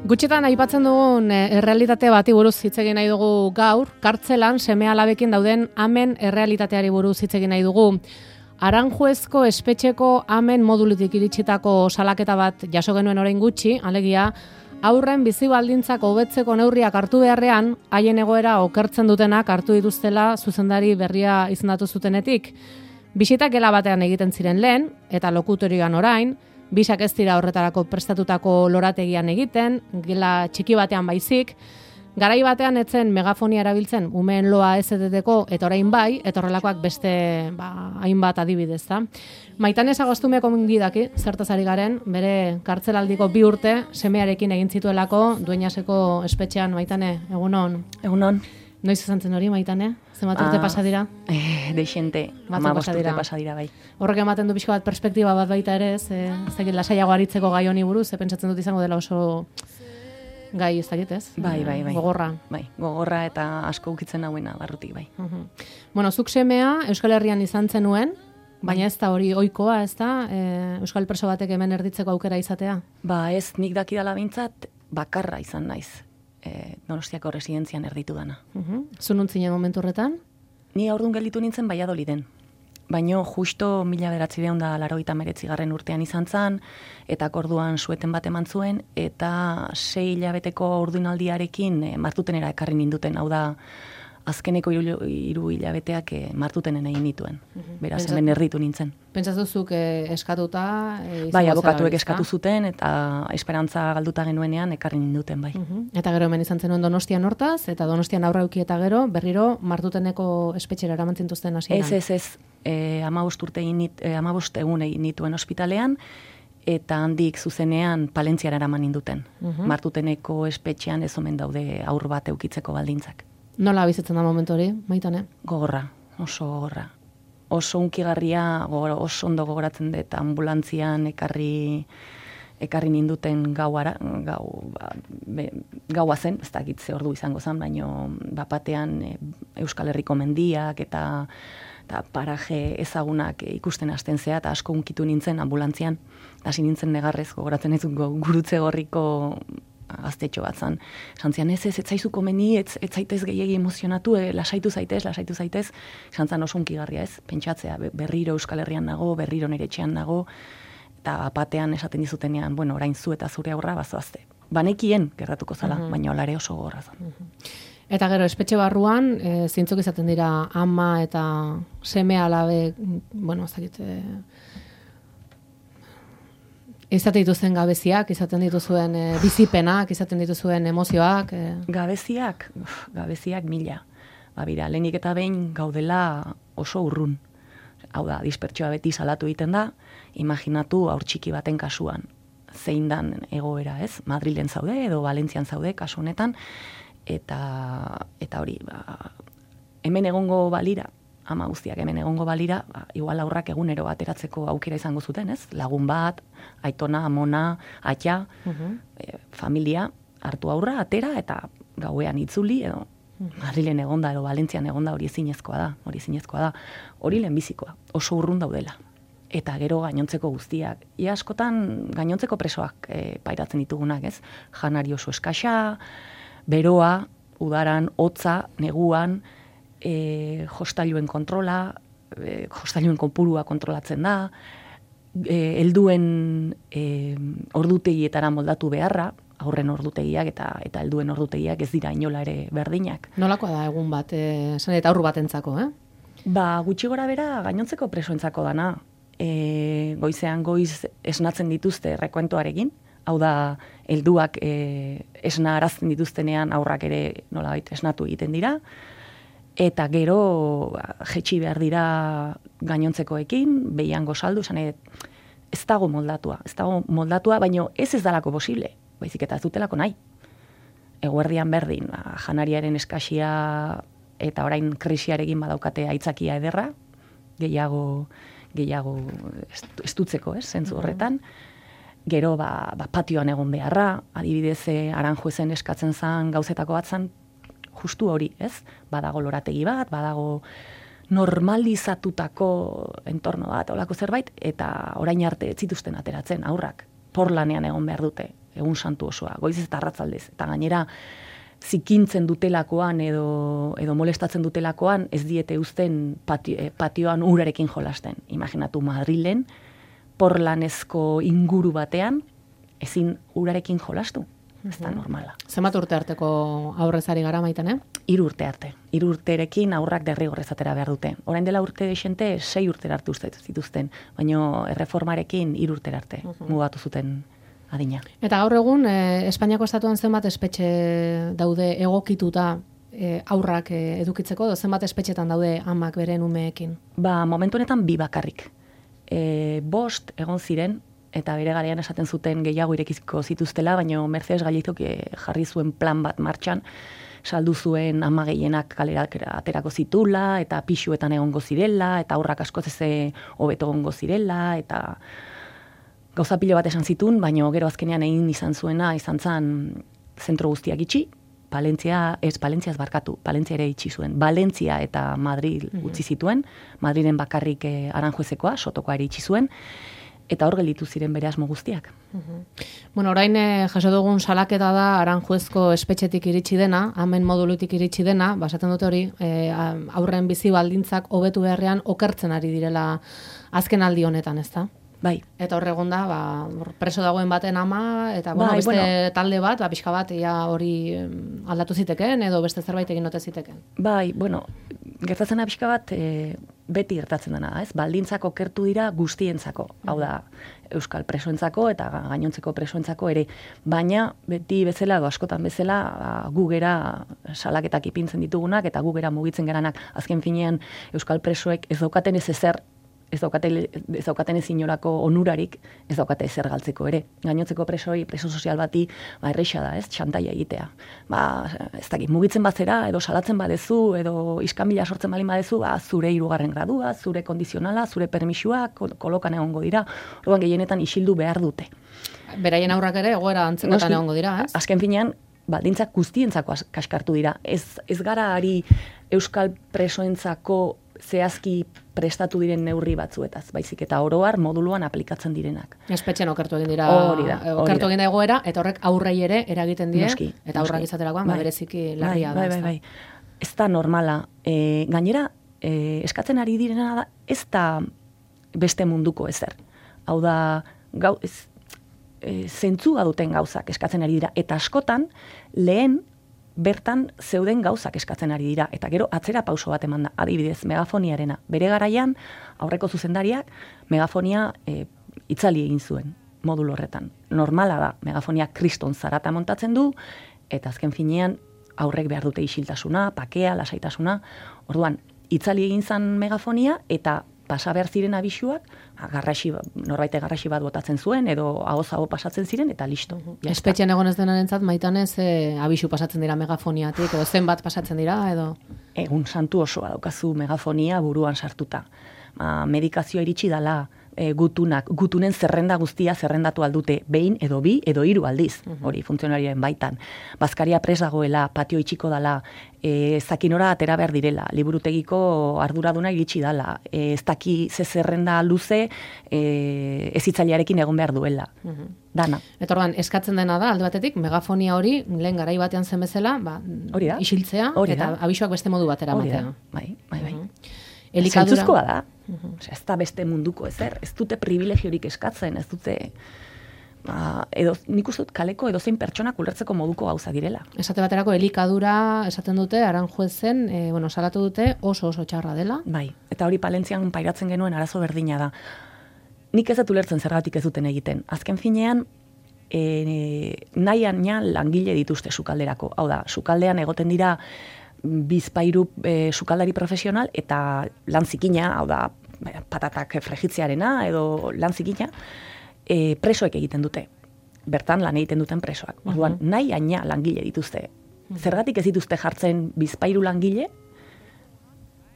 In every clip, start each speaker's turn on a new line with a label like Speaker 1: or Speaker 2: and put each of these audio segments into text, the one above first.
Speaker 1: Gutxitan aipatzen dugun errealitate bati buruz hitz egin nahi dugu gaur, kartzelan seme-alabekin dauden amen errealitateari buruz hitz egin nahi dugu. Aranjuezko espetxeko amen modulutik iritsitako salaketa bat jaso genuen orain gutxi, alegia, haurren bizi baldintzak hobetzeko neurriak hartu beharrean, haien egoera okertzen dutenak hartu dituztela zuzendari berria izendatu zutenetik. Bisitak gela batean egiten ziren lehen, eta lokutorioan orain, bisak ez dira horretarako prestatutako lorategian egiten, gela txiki batean baizik, garai batean etzen megafonia erabiltzen umeen loa ez eteteko, eta orain bai, eta horrelakoak beste hainbat adibidez da. Maitane Sagostumeko mingidaki, zertaz ari garen, bere kartzelaldiko 2 urte semearekin egin zituelako Dueñaseko espetxean. Maitane, egunon.
Speaker 2: Egunon.
Speaker 1: Noiz izan zen hori, Maitane? Zenbat urte pasa dira?
Speaker 2: Deixente, 15 urte pasa dira, bai.
Speaker 1: Horrek ematen du pixko bat perspektiba bat baita ere, ez lasaiago aritzeko gai honi buruz, pentsatzen dut izango dela oso gai ez dakit, ez?
Speaker 2: Bai.
Speaker 1: Gogorra.
Speaker 2: Bai, gogorra eta asko ukitzen hauena barrutik, bai.
Speaker 1: Bueno, zuk semea Euskal Herrian izan zenuen, baina ez da hori ohikoa, ez da? Euskal preso batek hemen erditzeko aukera izatea?
Speaker 2: Ba, ez nik dakidala bintzat, bakarra izan naiz. Donostiako residentzian erditu dana.
Speaker 1: Zunun zinen momentu horretan?
Speaker 2: Ni aurdun gelditu nintzen Valladoliden. Baino justo 1989 urtean izan zan, eta orduan sueten bat eman zuen, eta 6 hilabeteko ordunaldiarekin martutenera ekarri ninduten, hau da, azkeneko 3 hilabeteak martutenen egin nituen. Beraz, hemen erditu nintzen.
Speaker 1: Pentsatuzuk eskatuta?
Speaker 2: Bai, abokatuek eskatu zuten, eta esperantza galduta genuenean ekarri ninduten, bai.
Speaker 1: Eta gero hemen izan zenuen Donostian hortaz, eta Donostian aurra euki eta gero, berriro martuteneko espetxera eramantzintuzten hasieran.
Speaker 2: Ez. 15 egun egin nituen ospitalean, eta handik zuzenean Palentziara eraman ninduten. Martuteneko espetxean ez omen daude aur bat eukitzeko baldintzak.
Speaker 1: Nola bizitzen da momentu hori, Maitane?
Speaker 2: Gogorra, oso gogorra. Oso unkigarria, oso ondo gogoratzen dut ambulantzian ekarri ninduten gaua zen, ez dakit ze ordu izango zen, baino bapatean Euskal Herriko mendiak eta paraje ezagunak ikusten hasten zea, eta asko unkitu nintzen ambulantzian, hasi nintzen negarrez, gogoratzen ez Gurutze Gorriko gaztetxo bat zan. Santzian ez zaizu komeni, ez zaitez gehiagi emozionatu, lasaitu zaitez. Santzan oso unkigarria ez, pentsatzea, berriro Euskal Herrian nago, berriro nire etxean nago, eta batean esaten dizutenean, bueno, orain zu eta zure aurra bazoazte. Banekien gertatuko zala, baina olare oso gogorra zan.
Speaker 1: Eta gero, espetxe barruan, zintzuk izaten dira ama eta seme alabe, bueno, ez dakit, izaten dituzuen gabeziak, izaten dituzuen bizipenak, izaten dituzuen emozioak.
Speaker 2: Gabeziak mila. Bira, lehenik eta behin gaudela oso urrun. Hau da, dispertsioa beti salatu egiten da, imaginatu haur txiki baten kasuan. Zein dan egoera, ez? Madrilen zaude edo Valentzian zaude kasu honetan, eta hori, hemen egongo balira, ama guztiak hemen egongo balira, igual aurrak egunero ateratzeko aukera izango zuten, ez? Lagun bat, aitona, amona, atia, familia, hartu aurra, atera, eta gauean itzuli, edo Madrilen egonda, edo Valentzian egonda, hori ezinezkoa da. Hori lehenbizikoa, oso urrun daudela. Eta gero gainontzeko guztiak. Ia askotan gainontzeko presoak pairatzen ditugunak, ez? Janari oso eskasa, beroa, udaran, hotza, neguan, jostailuen kontrola, jostailuen kopurua kontrolatzen da, helduen ordutegietara moldatu beharra, aurren ordutegiak eta helduen ordutegiak ez dira inola ere berdinak.
Speaker 1: Nolakoa da egun bat, eta aurru batentzako,
Speaker 2: Ba, gutxi gora bera gainontzeko presoentzako dana. Goizean goiz esnatzen dituzte rekuentoarekin, hau da, helduak esna arazten dituztenean aurrak ere nolabait esnatu egiten dira, eta gero jetxi behar dira gainontzekoekin, behiango saldu, ez dago moldatua, baino ez dalako posible, baizik eta ez dutelako nahi. Eguerdian berdin, janariaren eskasia eta orain krisiarekin badaukate aitzakia ederra, gehiago estutzeko, zentzu horretan. Gero, patioan egon beharra, adibidez, Aranjuezen eskatzen zan gauzetako bat zan, justu hori, ez? Badago lorategi bat, badago normalizatutako entorno bat, olako zerbait, eta orain arte ez zituzten ateratzen aurrak. Porlanean egon behar dute. egun santu osoa, goiz eta arratzaldez, eta gainera zikintzen dutelakoan edo molestatzen dutelakoan ez diete uzten patioan urarekin jolasten. Imaginatu Madrilen, porlanezko inguru batean, ezin urarekin jolastu. Ez da normala.
Speaker 1: Zenbat urte arteko aurrezari gara maiten,
Speaker 2: 3 urte arte. 3 urterekin aurrak derrigorrez atera behar dute. Orain dela urte desente 6 urtera arte zituzten, baina erreformarekin 3 urtera arte mugatu zuten adina.
Speaker 1: Eta gaur egun, Espainiako estatuan zenbat espetxe daude egokituta aurrak edukitzeko, zenbat espetxetan daude amak beren umeekin?
Speaker 2: Momentu honetan 2 bakarrik. 5 egon ziren, eta bere garaian esaten zuten gehiago irekizko zituztela, baina Mercedes Gallizok jarri zuen plan bat martxan, saldu zuen ama gehienak kalera aterako zitula, eta pixuetan egongo zirela, eta aurrak askoz ez hobeto egongo zirela, eta gauza pilo bat esan zitun, baina gero azkenean egin izan zuena, izan zan zentro guztiak itxi, Palentzia ere itxi zuen. Valentzia eta Madrid utzi zituen, Madrilen bakarrik Aranjuezekoa, Sotokoa ere itxi zuen, eta hor gelditu ziren bere asmo guztiak.
Speaker 1: Bueno, orain jaso dugun salaketa da Aranjuezko espetxetik iritsi dena, amen modulutik iritsi dena, basaten dute hori, aurren bizi baldintzak hobetu beharrean okertzen ari direla azken aldi honetan, ezta?
Speaker 2: Bai.
Speaker 1: Eta hor egon da, preso dagoen baten ama, eta beste talde bat, pixka bat, hori aldatu ziteken, edo beste zerbait egin ote ziteken.
Speaker 2: Bai, gertatzen da pixka bat, beti gertatzen dena, ez? Baldintzak okertu dira guztientzako, hau da, euskal presoentzako eta gainontzeko presoentzako ere, baina beti bezala, edo askotan bezala, gu gera salaketak ipintzen ditugunak, eta gu gera mugitzen geranak, azken finean euskal presoek ez daukaten ez ezer, ez daukaten ez inolako onurarik, ez daukate ezer galtzeko ere. Gainontzeko preso sozial bati, erreixa da, ez, txantaia egitea. Ez dakit, mugitzen bazera, edo salatzen badezu, edo iskanbila sortzen balin badezu, zure 3. gradua, zure kondizionala, zure permisua, kolokan egongo dira, orduan gehienetan isildu behar dute.
Speaker 1: Beraien aurrak ere, egoera antzekotan egongo dira, ez?
Speaker 2: Azken finean, baldintzak guztientzako kaskartu dira. Ez gara ari euskal presoentzako zehazki prestatu diren neurri batzuetaz, baizik eta oroar moduluan aplikatzen direnak.
Speaker 1: Espetxean okertu egin dira,
Speaker 2: okertu
Speaker 1: egin da egoera, eta horrek aurrei ere eragiten die, eta aurrak izaterakoan, bereziki larria da.
Speaker 2: Bai. Ez da normala. Gainera, eskatzen ari direna da, ez da beste munduko ezer. Hau da, zentzua duten gauzak eskatzen ari dira, eta askotan, lehen bertan zeuden gauzak eskatzen ari dira, eta gero atzera pauso bat eman da, adibidez, megafoniarena. Bere garaian, aurreko zuzendariak, megafonia itzali egin zuen, modulo horretan. Normala da, megafonia kriston zarata montatzen du, eta azken finean, aurrek behar dute isiltasuna, pakea, lasaitasuna. Orduan, itzali egin zan megafonia, eta pasa behar ziren abisuak, norbaite garraxi bat botatzen zuen, edo ahoz-aho pasatzen ziren, eta listo.
Speaker 1: Espetxean egon ez denarentzat, Maitanez, abisu pasatzen dira megafoniatik, edo zenbat pasatzen dira, edo?
Speaker 2: Egun santu osoa daukazu megafonia buruan sartuta. Medikazioa iritsi dala, gutunen zerrenda guztia zerrendatu aldute, behin edo 2 edo 3 aldiz, hori funtzionarioen baitan. Bazkaria pres dagoela, patio itxiko dala, zakinora atera behar direla, liburutegiko arduraduna iritsi dala, ez daki ze zerrenda luze ezitzailearekin egon behar duela. Dana.
Speaker 1: Eta orduan, eskatzen dena da, alde batetik, megafonia hori, lehen garai batean zen bezala, isiltzea, eta abisuak beste modu batera matea.
Speaker 2: Bai. Zentzuzkoa da. Ez da beste munduko ezer. Ez dute privilegiorik eskatzen, ez dute... nik uste dut kaleko edozein pertsonak ulertzeko moduko gauza direla.
Speaker 1: Esate baterako, elikadura esaten dute, Aranjuezen, salatu dute oso txarra dela.
Speaker 2: Bai, eta hori Palentzian pairatzen genuen arazo berdina da. Nik ez dut ulertzen zergatik ez duten egiten. Azken finean, nahian langile dituzte sukalderako. Hau da, sukaldean egoten dira bizpairu sukaldari profesional eta lan zikina, hau da, patatak frejitzearena edo lan zikina, presoek egiten dute. Bertan lan egiten duten presoak. Orduan, nahi aina langile dituzte. Zergatik ez dituzte jartzen bizpairu langile,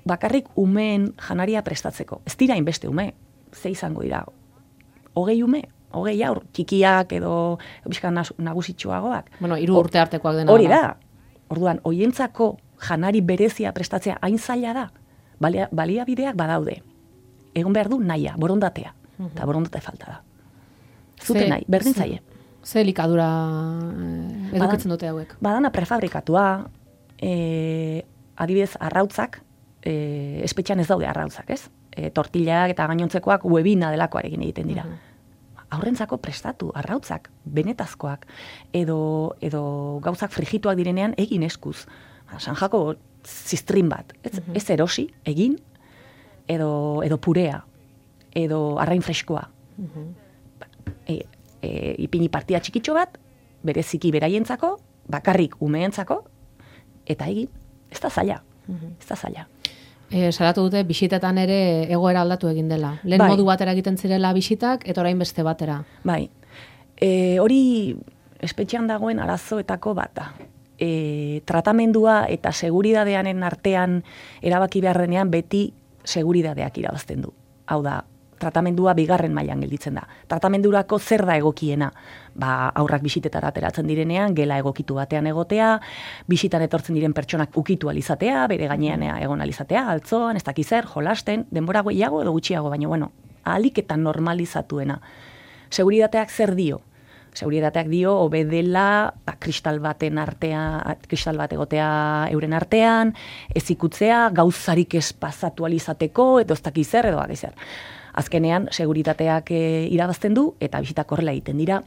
Speaker 2: bakarrik umeen janaria prestatzeko. Ez dira inbeste ume, ze izango dira. 20 ume, 20 aur, txikiak edo bizkan nagusitxoagoak.
Speaker 1: 3 urte artekoak dena.
Speaker 2: Hori da. Orduan, hoientzako janari berezia prestatzea hain zaila da, baliabideak badaude. Egon behar du nahia, borondatea. Eta borondate falta da. Zute nahi, berdin zaie.
Speaker 1: Ze elikadura edukitzen dute hauek?
Speaker 2: Badana prefabrikatua, adibidez, arrautzak, espetxean ez daude arrautzak, ez? Tortillak eta gainontzekoak webina delakoarekin egiten dira. Aurrentzako prestatu, arrautzak, benetazkoak, edo gauzak frigituak direnean egin eskuz. Sanjako zistrin bat, ez erosi, egin, edo purea, edo arrain freskoa. Ipini partia txikitxo bat, bereziki beraientzako, bakarrik umeentzako, eta egin, ez da zaila. Ez da zaila.
Speaker 1: Salatu dute, bisitetan ere egoera aldatu egin dela. Lehen modu batera egiten zirela bisitak, eta orain beste batera.
Speaker 2: Bai. Hori espetxean dagoen arazoetako bat da. Tratamendua eta seguridadeanen artean erabaki behar denean beti seguridadeak irabazten du. Hau da, tratamendua bigarren mailan gelditzen da. Tratamendurako zer da egokiena? Aurrak bisitetara ateratzen direnean, gela egokitu batean egotea, bisitan etortzen diren pertsonak ukitu alizatea, bere gainean egon alizatea, altzoan, ez dakiz zer, jolasten, denbora gehiago edo gutxiago, baina bueno, ahalik eta normalizatuena. Seguridateak zer dio? Seguridateak dio, obedela, kristal bat egotea euren artean, ez ikutzea, gauzarik ez pasatu alizateko, edo ez dakiz zer, edo dakiz zer. Azkenean, seguritateak irabazten du, eta bisitak horrela egiten dira,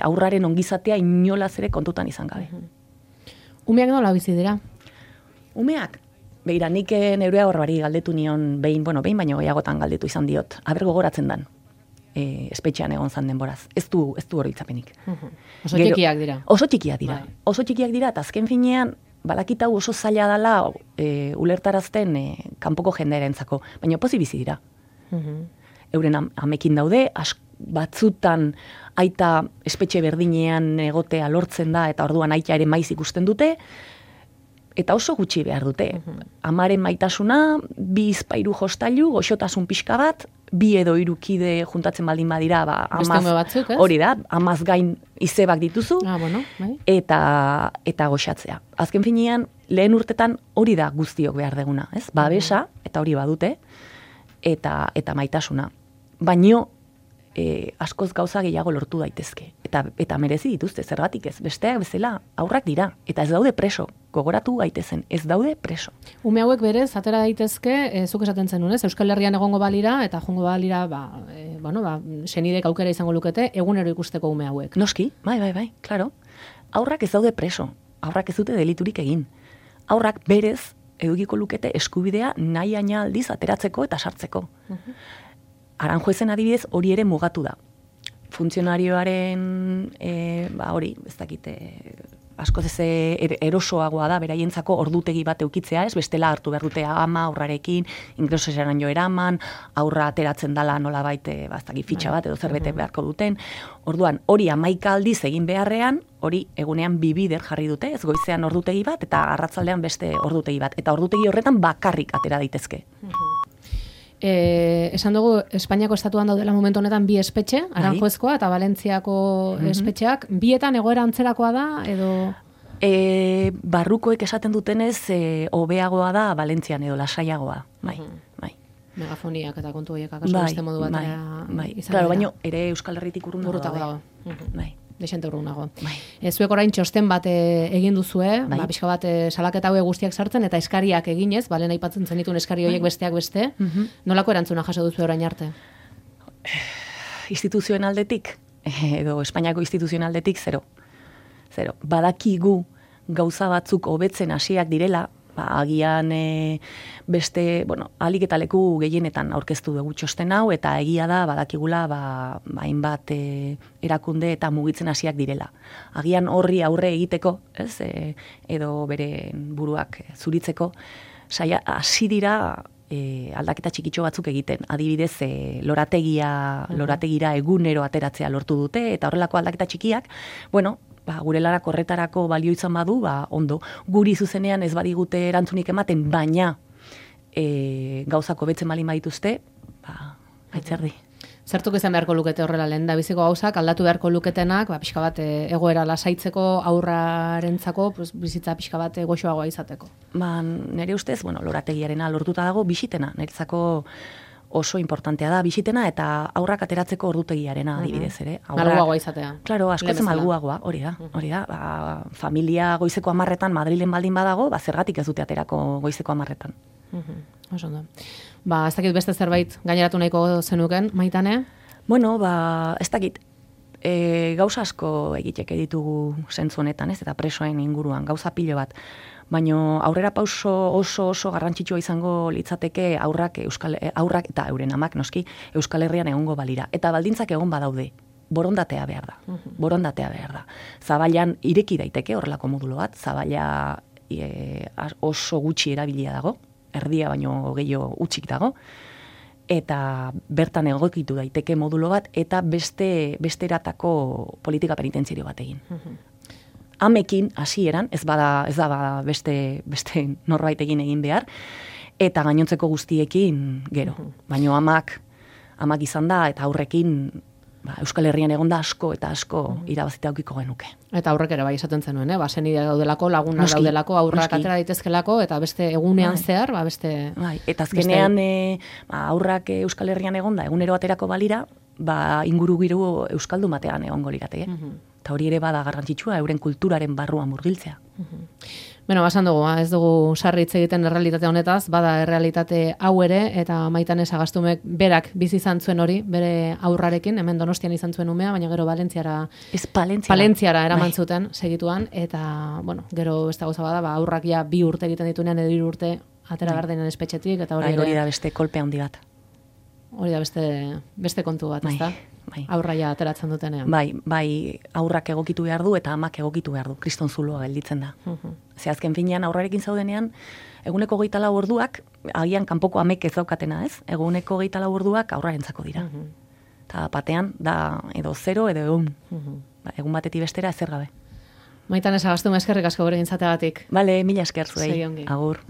Speaker 2: aurraren ongizatea inolaz ere kontutan izan gabe.
Speaker 1: Umeak nola bizi dira?
Speaker 2: Umeak? Beira, nik neurea horrari galdetu nion, behin baino gehiagotan galdetu izan diot. Aber gogoratzen dan, espetxean egon zan denboraz. Ez du oroitzapenik.
Speaker 1: Oso txikiak dira.
Speaker 2: Oso txikiak dira. Oso txikiak dira, eta azken finean, balakitau oso zaila dela ulertarazten kanpoko jendearentzako, baina pozik bizi dira. Euren amekin daude, batzutan aita espetxe berdinean egotea lortzen da, eta orduan aita ere maiz ikusten dute, eta oso gutxi behar dute. Amaren maitasuna, 2 bizpairu jostailu, goxotasun pixka bat, 2 edo 3 kide juntatzen baldin badira,
Speaker 1: batzuk,
Speaker 2: hori da, amaz gain izebak dituzu, eta goxatzea. Azken finean, lehen urtetan hori da guztiok behar deguna, ez? Babesa, eta hori badute, eta maitasuna. Baino, askoz gauza gehiago lortu daitezke. Eta merezi dituzte, zergatik ez. Besteak bezala, aurrak dira. Eta ez daude preso. Gogoratu gaitezen, ez daude preso.
Speaker 1: Ume hauek berez, atera daitezke, zuk esaten zenun, ez? Euskal Herrian egongo balira, eta jongo balira, senidek aukera izango lukete, egunero ikusteko ume hauek.
Speaker 2: Noski, bai, klaro. Aurrak ez daude preso. Aurrak ez dute deliturik egin. Aurrak berez, edukiko lukete eskubidea nahi aina aldiz ateratzeko eta sartzeko. Aranjuezen adibidez hori ere mugatu da. Funtzionarioaren, hori, ez dakite, askoz ez erosoagoa da, beraientzako ordutegi bat eukitzea, ez bestela hartu behar dute ama aurrarekin, ingresosaren jo eraman, aurra ateratzen dala nolabait, fitxa bat edo zerbete beharko duten. Orduan, hori 11 aldiz egin beharrean, hori egunean 2 bider jarri dute, ez goizean ordutegi bat, eta arratzaldean beste ordutegi bat. Eta ordutegi horretan bakarrik atera daitezke.
Speaker 1: Esan dugu, Espainiako estatuan daudela momentu honetan 2 espetxe, Aranjuezkoa eta Valentziako espetxeak, bietan egoera antzerakoa da, edo...
Speaker 2: Barrukoek esaten dutenez, hobeagoa da Valentzian edo lasaiagoa, bai.
Speaker 1: Megafoniak eta kontu horiek akaso beste modu batera izan
Speaker 2: dira. Baina ere Euskal Herritik urrundago
Speaker 1: dago.
Speaker 2: Bai.
Speaker 1: Desente urrunago. Zuek orain txosten bat egin duzue, pixka bat salaketa hauek guztiak sartzen, eta eskariak eginez, lehen aipatzen zenitun eskari horiek besteak beste, nolako erantzuna jaso duzu orain arte?
Speaker 2: Instituzioen aldetik, edo Espainiako instituzioen aldetik, zero. Badakigu gauza batzuk hobetzen hasiak direla, agian beste, ahalik eta leku gehienetan aurkeztu dugu txosten hau, eta egia da, badakigula, hainbat erakunde eta mugitzen hasiak direla. Agian horri aurre egiteko, ez, edo bere buruak zuritzeko, hasi dira aldaketa txikitxo batzuk egiten. Adibidez, lorategira egunero ateratzea lortu dute, eta horrelako aldaketa txikiak, gure lanak horretarako balio izan badu, ondo. Guri zuzenean ez badigute erantzunik ematen, baina gauzako betzen balin badituzte, aitzerdi.
Speaker 1: Zertuk izan beharko lukete horrela lehen da biziko gauzak, aldatu beharko luketenak, pixka bat egoera lasaitzeko aurrarentzako, bizitza pixka bat goxoagoa izateko.
Speaker 2: Nire ustez, lorategiarena lortuta dago bisitena, niretzako oso importantea da bisitena eta aurrak ateratzeko ordutegiarena adibidez ere.
Speaker 1: Malguagoa izatea.
Speaker 2: Claro, askoz malguagoa, hori da. Ba, familia goizeko 10etan Madrilen baldin badago, ba zergatik ez dute aterako goizeko 10etan.
Speaker 1: Oso ondo. Ba, ez dakit beste zerbait gaineratu nahiko zenuken, Maitane?
Speaker 2: Bueno, ba, ez dakit. Gauza asko egiteke ditugu zentzu honetan, ez? Eta presoen inguruan, gauza pilo bat. Baina aurrera pauso oso garrantzitsua izango litzateke aurrak eta euren amak noski Euskal Herrian egongo balira. Eta baldintzak egon badaude, borondatea behar da. Borondatea behar da. Zabailan ireki daiteke horrelako modulo bat, Zabaila oso gutxi erabilia dago, erdia baino gehiago utxik dago, eta bertan egokitu daiteke modulo bat, eta beste eratako politika penitentziario bat egin. Amekin hasieran, ez da beste norbait egin behar, eta gainontzeko guztiekin gero. Baina amak izan da, eta aurrekin Euskal Herrian egon da asko eta asko irabazita aukiko genuke.
Speaker 1: Eta aurrek ere bai esaten zenuen, basenidea daudelako, lagunak daudelako, aurrak atera daitezkelako, eta beste egunean zehar, beste...
Speaker 2: Eta azkenean aurrak Euskal Herrian egon da, egunero aterako balira, inguru giru euskaldun batean egongo lirateke. Eta hori ere bada garrantzitsua, euren kulturaren barruan murgiltzea.
Speaker 1: Bueno, basan dugu, ez dugu sarri hitz egiten errealitate honetaz, bada errealitate hau ere, eta Maitane Sagastumek berak bizi izan zuen hori, bere aurrarekin, hemen Donostian izan zuen umea, baina gero Palentziara eraman zuten segituan, eta, bueno, gero beste gauza bada, aurrak ja 2 urte egiten ditunean, edo 3 urte atera behar denen espetxetik, eta
Speaker 2: hori da beste kolpe handi bat.
Speaker 1: Hori da beste kontu bat, ezta? Aurraia ateratzen dutenean.
Speaker 2: Bai, aurrak egokitu behar du eta amak egokitu behar du. Kriston zuloa gelditzen da. Ze azken finean aurrarekin zaudenean, eguneko 24 orduak, agian kanpoko amek ez daukatena, ez? Eguneko 24 orduak aurrarentzako dira. Eta batean, da edo 0 edo 1. Egun batetik bestera ezer gabe.
Speaker 1: Maitane Sagastu, eskerrik asko gurekin zateagatik.
Speaker 2: Bale, mila esker zuei. Agur.